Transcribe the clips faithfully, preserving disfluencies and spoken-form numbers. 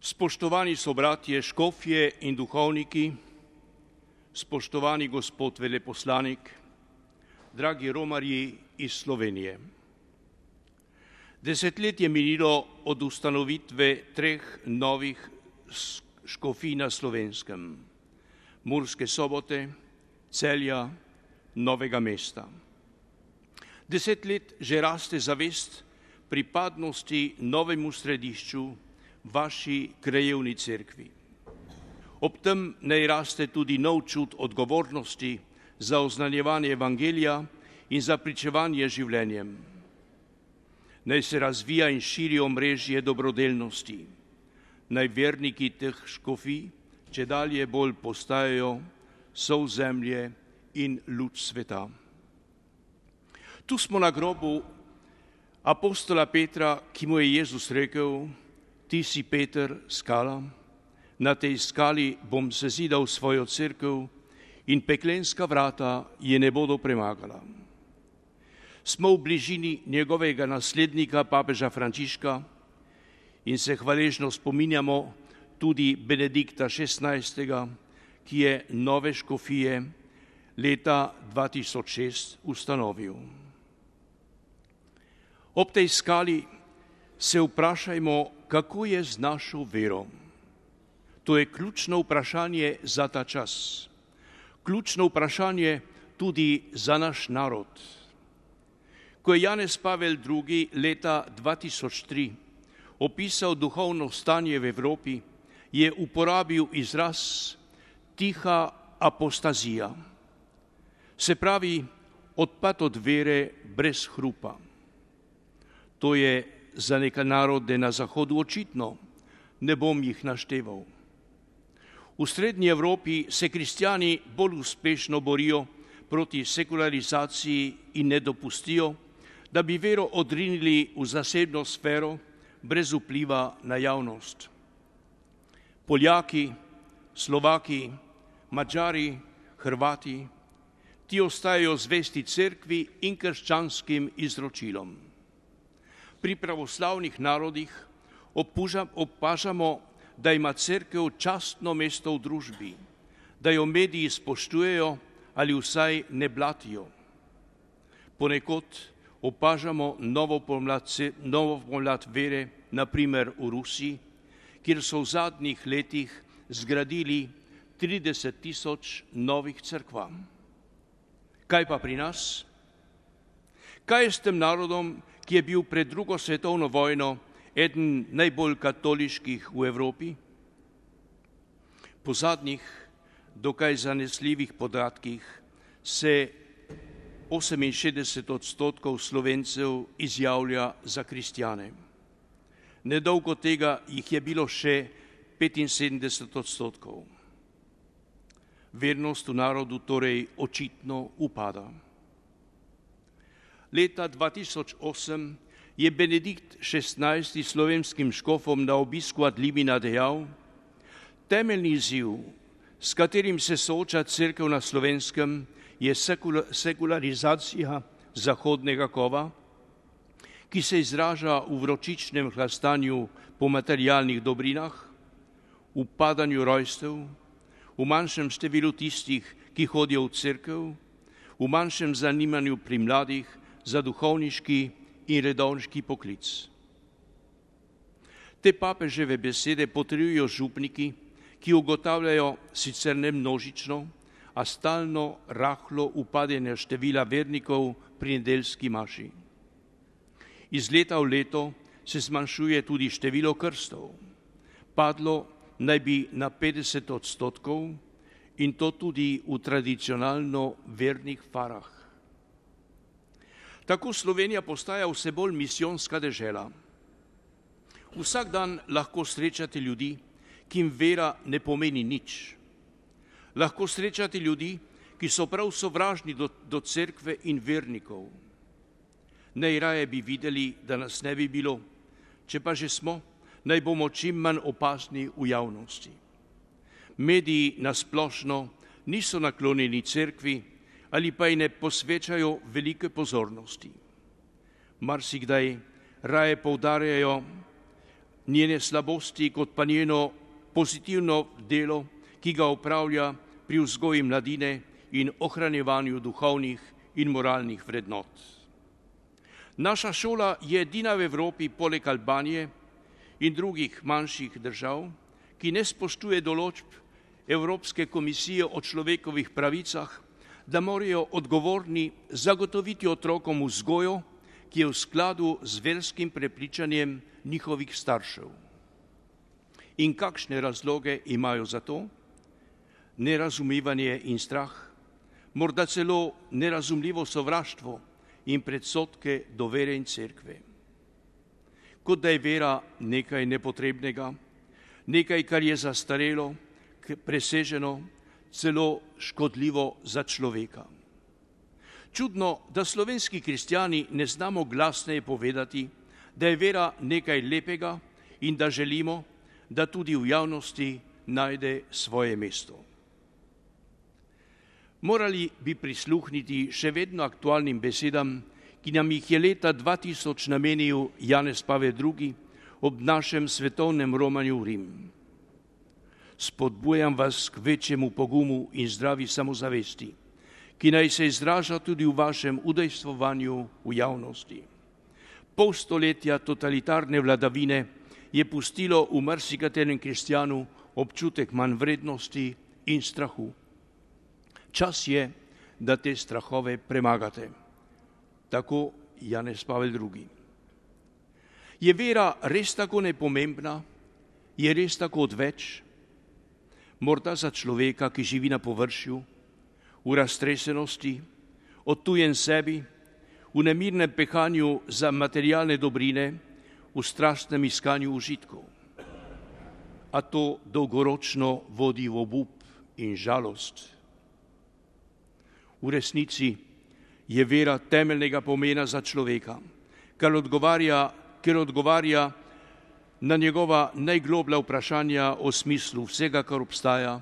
Spoštovani sobratje, škofje in duhovniki, spoštovani gospod veleposlanik, dragi romarji iz Slovenije. Desetletje minilo od ustanovitve treh novih škofij na Slovenskem, Murske Sobote, Celja, Novega mesta. Deset let že raste zavest pripadnosti novemu središču vaši krajevni cerkvi. Ob tem naj raste tudi nov čut odgovornosti za oznanjevanje evangelija in za pričevanje življenjem. Naj se razvija in širi omrežje dobrodelnosti. Naj verniki teh škofij čedalje bolj postajajo sol zemlje in luč sveta. Tu smo na grobu apostola Petra, ki mu je Jezus rekel: Ti si Peter, skala, na tej skali bom sezidal svojo cerkev in peklenska vrata je ne bodo premagala. Smo v bližini njegovega naslednika, papeža Frančiška, in se hvaležno spominjamo tudi Benedikta šestnajstega, ki je nove škofije leta dva tisoč šest ustanovil. Ob tej skali se vprašajmo, kako je z našo vero. To je ključno vprašanje za ta čas. Ključno vprašanje tudi za naš narod. Ko je Janez Pavel drugi. leta dva tisoč tri opisal duhovno stanje v Evropi, je uporabil izraz tiha apostazija. Se pravi, odpad od vere brez hrupa. To je za neke narode na Zahodu očitno, ne bom jih našteval. V srednji Evropi se kristjani bolj uspešno borijo proti sekularizaciji in ne dopustijo, da bi vero odrinili v zasebno sfero brez vpliva na javnost. Poljaki, Slovaki, Madžari, Hrvati, ti ostajajo zvesti cerkvi in krščanskim izročilom. Pri pravoslavnih narodih opažamo, da ima cerkev častno mesto v družbi, da jo mediji spoštujejo ali vsaj ne blatijo. Ponekod opažamo novo pomlad, novo pomlad vere, na primer v Rusiji, kjer so v zadnjih letih zgradili trideset tisoč novih cerkva. Kaj pa pri nas? Kaj je s tem narodom, ki je bil pred drugo svetovno vojno eden najbolj katoliških v Evropi? Po zadnjih, dokaj zanesljivih podatkih se oseminšestdeset odstotkov Slovencev izjavlja za kristjane. Nedolgo tega jih je bilo še petinsedemdeset odstotkov. Vernost v narodu torej očitno upada. Leta dva tisoč osem je Benedikt šestnajsti slovenskim škofom na obisku ad limina dejal: Temeljni izziv, s katerim se sooča cerkev na Slovenskem, je sekularizacija zahodnega kova, ki se izraža v vročičnem hlastanju po materialnih dobrinah, v padanju rojstev, v manjšem številu tistih, ki hodijo v cerkev, v manjšem zanimanju pri mladih za duhovniški in redovniški poklic. Te papeževe besede potrjujejo župniki, ki ugotavljajo sicer ne množično, a stalno rahlo upadanje števila vernikov pri nedeljski maši. Iz leta v leto se zmanjšuje tudi število krstov. Padlo naj bi na petdeset odstotkov in to tudi v tradicionalno vernih farah. Tako Slovenija postaja vse bolj misijonska dežela. Vsak dan lahko srečate ljudi, ki jim vera ne pomeni nič. Lahko srečate ljudi, ki so prav sovražni do, do cerkve in vernikov. Najraje bi videli, da nas ne bi bilo, če pa že smo, naj bomo čim manj opazni v javnosti. Mediji nasplošno niso naklonjeni cerkvi ali pa ji ne posvečajo velike pozornosti. Marsikdaj raje poudarjajo njene slabosti kot pa njeno pozitivno delo, ki ga opravlja pri vzgoji mladine in ohranjevanju duhovnih in moralnih vrednot. Naša šola je edina v Evropi poleg Albanije in drugih manjših držav, ki ne spoštuje določb Evropske komisije o človekovih pravicah, da morajo odgovorni zagotoviti otrokom vzgojo, ki je v skladu z verskim prepričanjem njihovih staršev. In kakšne razloge imajo za to? Nerazumevanje in strah, morda celo nerazumljivo sovraštvo in predsodke do vere in cerkve. Kot da je vera nekaj nepotrebnega, nekaj, kar je zastarelo, preseženo, celo škodljivo za človeka. Čudno, da slovenski kristjani ne znamo glasneje povedati, da je vera nekaj lepega in da želimo, da tudi v javnosti najde svoje mesto. Morali bi prisluhniti še vedno aktualnim besedam, ki nam jih je leta dva tisoč namenil Janez Pavel drugi ob našem svetovnem romanju v Rim. Spodbujam vas k večjemu pogumu in zdravi samozavesti, ki naj se izraža tudi v vašem udejstvovanju v javnosti. Pol stoletja totalitarne vladavine je pustilo v marsikaterem kristjanu občutek manjvrednosti in strahu. Čas je, da te strahove premagate. Tako Janez Pavel drugi. Je vera res tako nepomembna? Je res tako odveč? Morda za človeka, ki živi na površju, v raztresenosti, odtujen sebi, v nemirnem pehanju za materialne dobrine, v strastnem iskanju užitkov. A to dolgoročno vodi v obup in žalost. V resnici je vera temeljnega pomena za človeka, ker odgovarja, ker odgovarja na njegova najgloblja vprašanja o smislu vsega, kar obstaja,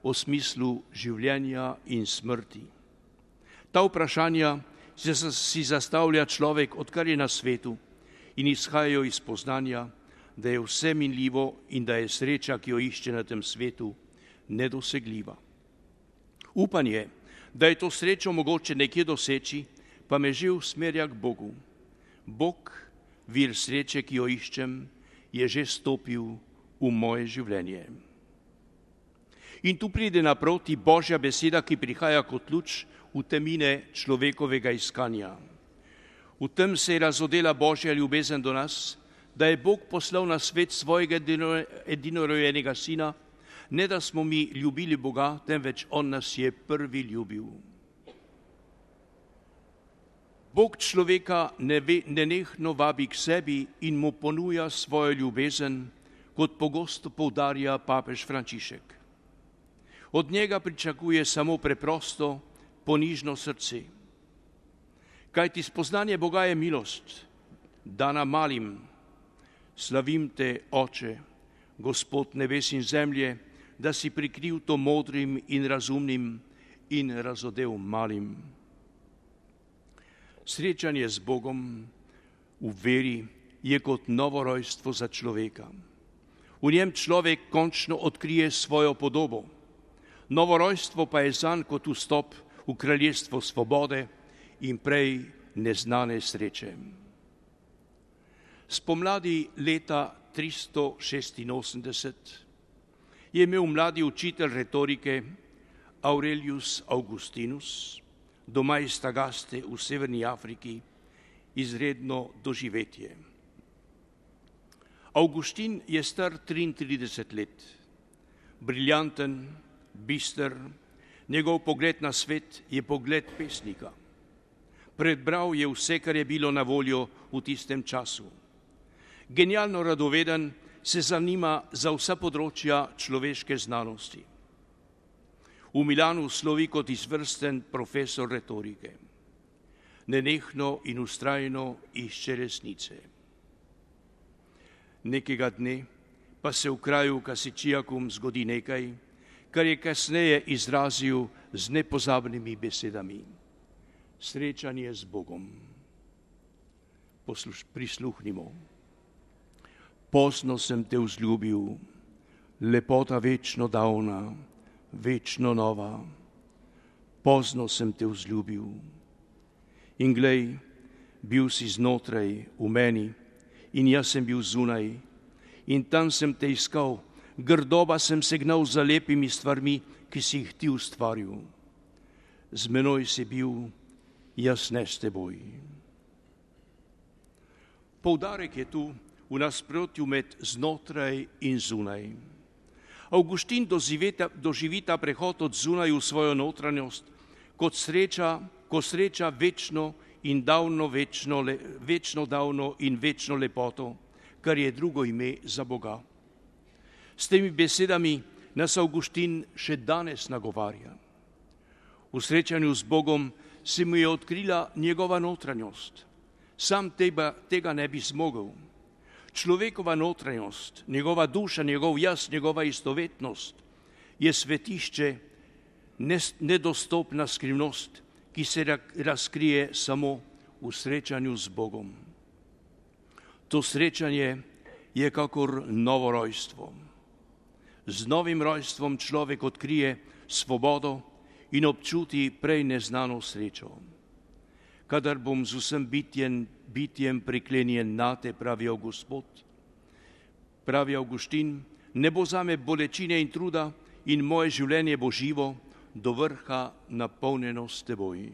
o smislu življenja in smrti. Ta vprašanja si zastavlja človek, odkar je na svetu, in izhajajo iz poznanja, da je vse minljivo in da je sreča, ki jo išče na tem svetu, nedosegljiva. Upanje, da je to srečo mogoče nekje doseči, pa me že usmerja k Bogu. Bog, vir sreče, ki jo iščem, je že stopil v moje življenje. In tu pride naproti Božja beseda, ki prihaja kot luč v temine človekovega iskanja. V tem se je razodela Božja ljubezen do nas, da je Bog poslal na svet svojega edinorojenega sina, ne da smo mi ljubili Boga, temveč on nas je prvi ljubil. Bog človeka nenehno vabi k sebi in mu ponuja svojo ljubezen, kot pogosto poudarja papež Frančišek. Od njega pričakuje samo preprosto, ponižno srce. Kajti spoznanje Boga je milost, dana malim. Slavim te, Oče, Gospod nebes in zemlje, da si prikril to modrim in razumnim in razodel malim. Srečanje z Bogom v veri je kot novorojstvo za človeka. V njem človek končno odkrije svojo podobo. Novorojstvo pa je zanj kot vstop v kraljestvo svobode in prej neznane sreče. Spomladi leta tristo šestinosemdeset je imel mladi učitelj retorike Aurelius Augustinus, doma iz Tagaste v severni Afriki, izredno doživetje. Augustin je star triintrideset let, briljanten, bister, njegov pogled na svet je pogled pesnika. Prebral je vse, kar je bilo na voljo v tistem času. Genialno radoveden, se zanima za vsa področja človeške znanosti. V Milanu slovi kot izvrsten profesor retorike. Nenehno in vztrajno išče resnice. Nekega dne pa se v kraju Kasičijakum zgodi nekaj, kar je kasneje izrazil z nepozabnimi besedami. Srečanje z Bogom. Posluš, prisluhnimo. Pozno sem te vzljubil, lepota večno davna, večno nova. Pozno sem te vzljubil. In glej, bil si znotraj v meni in jaz sem bil zunaj. In tam sem te iskal, grdoba sem se gnal za lepimi stvarmi, ki si jih ti ustvaril. Z menoj si bil, jaz ne s teboj. Poudarek je tu v nasprotju med znotraj in zunaj. Avguštin doživi ta prehod od zunaj v svojo notranjost kot sreča, ko sreča večno in davno, večno, le, večno davno in večno lepoto, kar je drugo ime za Boga. S temi besedami nas Avguštin še danes nagovarja. V srečanju z Bogom se mu je odkrila njegova notranjost. Sam teba, tega ne bi zmogel. Človekova notranjost, njegova duša, njegov jaz, njegova istovetnost je svetišče, nedostopna skrivnost, ki se razkrije samo v srečanju z Bogom. To srečanje je kakor novo rojstvo. Z novim rojstvom človek odkrije svobodo in občuti prej neznano srečo. Kadar bom z vsem bitjem, bitjem priklenjen nate, pravi Gospod, pravi Avguštin, ne bo zame bolečine in truda in moje življenje bo živo, do vrha napolnjeno s teboj.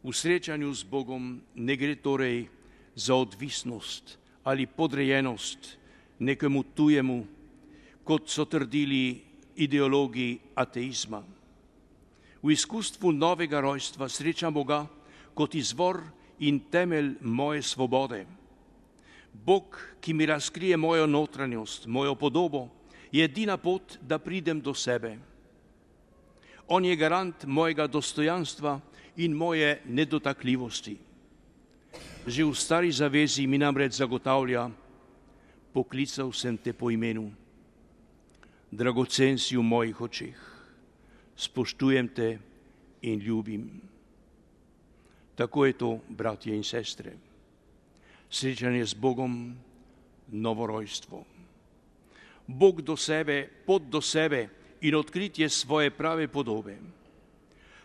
V srečanju z Bogom ne gre torej za odvisnost ali podrejenost nekemu tujemu, kot so trdili ideologi ateizma. V izkustvu novega rojstva srečam Boga kot izvor in temelj moje svobode. Bog, ki mi razkrije mojo notranjost, mojo podobo, je edina pot, da pridem do sebe. On je garant mojega dostojanstva in moje nedotakljivosti. Že v stari zavezi mi namreč zagotavlja, poklical sem te po imenu. Dragocen si v mojih očeh, spoštujem te in ljubim. Tako je to, bratje in sestre. Srečanje z Bogom, novorojstvo. Bog do sebe, pot do sebe in odkritje svoje prave podobe.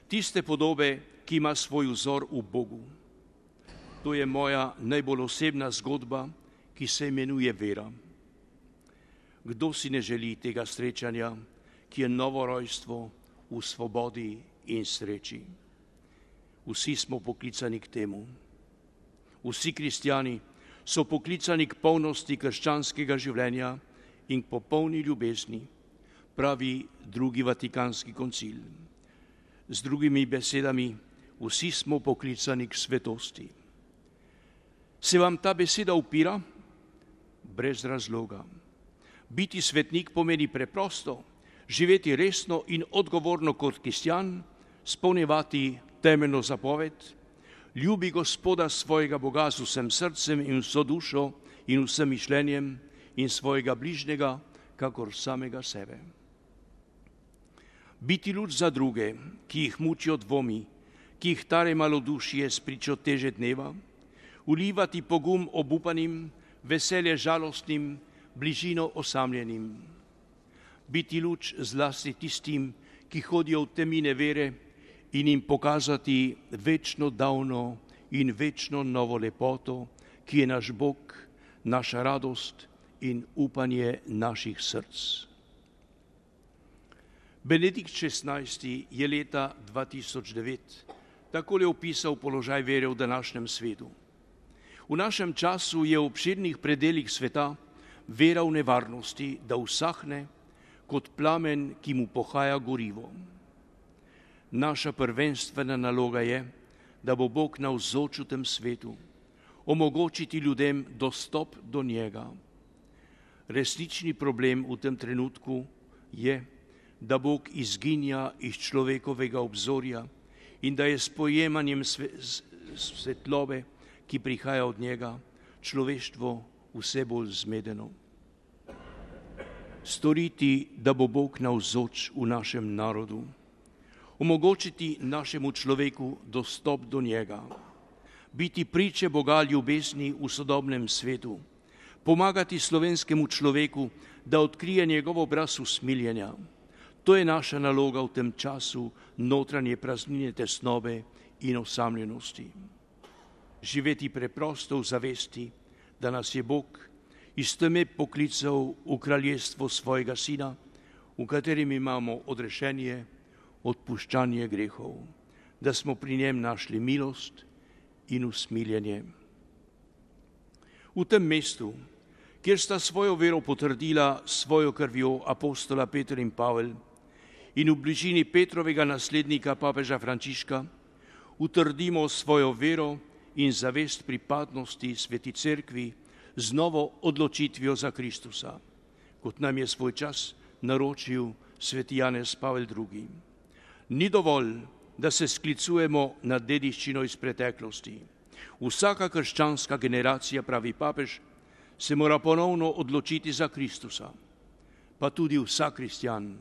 Tiste podobe, ki ima svoj vzor v Bogu. To je moja najbolj osebna zgodba, ki se imenuje vera. Kdo si ne želi tega srečanja, ki je novorojstvo v svobodi in sreči? Vsi smo poklicani k temu. Vsi kristjani so poklicani k polnosti krščanskega življenja in k popolni ljubezni, pravi drugi Vatikanski koncil. Z drugimi besedami, vsi smo poklicani k svetosti. Se vam ta beseda upira? Brez razloga. Biti svetnik pomeni preprosto, živeti resno in odgovorno kot kristjan, spolnjevati temeljno zapoved, ljubi Gospoda svojega Boga z vsem srcem in vso dušo in vsem mišljenjem in svojega bližnjega, kakor samega sebe. Biti luč za druge, ki jih mučijo dvomi, ki jih tare malodušje spričo teže dneva, ulivati pogum obupanim, veselje žalostnim, bližino osamljenim. Biti luč zlasti tistim, ki hodijo v temine vere in jim pokazati večno davno in večno novo lepoto, ki je naš Bog, naša radost in upanje naših src. Benedikt šestnajsti je leta dva tisoč devet takole opisal položaj vere v današnjem svetu. V našem času je v obširnih predelih sveta vera v nevarnosti, da usahne kot plamen, ki mu pohaja gorivo. Naša prvenstvena naloga je, da bo Bog navzoč v tem svetu, omogočiti ljudem dostop do njega. Resnični problem v tem trenutku je, da Bog izginja iz človekovega obzorja in da je s pojemanjem svetlobe, ki prihaja od njega, človeštvo vse bolj zmedeno. Storiti, da bo Bog navzoč v našem narodu, omogočiti našemu človeku dostop do njega, biti priče Boga ljubezni v sodobnem svetu, pomagati slovenskemu človeku, da odkrije njegov obraz usmiljenja. To je naša naloga v tem času notranje praznine, tesnobe in osamljenosti. Živeti preprosto v zavesti, da nas je Bog iz teme poklical v kraljestvo svojega Sina, v katerem imamo odrešenje, odpuščanje grehov, da smo pri njem našli milost in usmiljenje. V tem mestu, kjer sta svojo vero potrdila svojo krvjo apostola Peter in Pavel in v bližini Petrovega naslednika papeža Frančiška, utrdimo svojo vero in zavest pripadnosti Sveti Cerkvi z novo odločitvijo za Kristusa, kot nam je svoj čas naročil sveti Janez Pavel drugi. Ni dovolj, da se sklicujemo na dediščino iz preteklosti. Vsaka krščanska generacija, pravi papež, se mora ponovno odločiti za Kristusa, pa tudi vsak kristjan,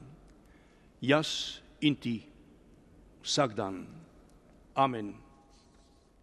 jaz in ti, vsak dan. Amen.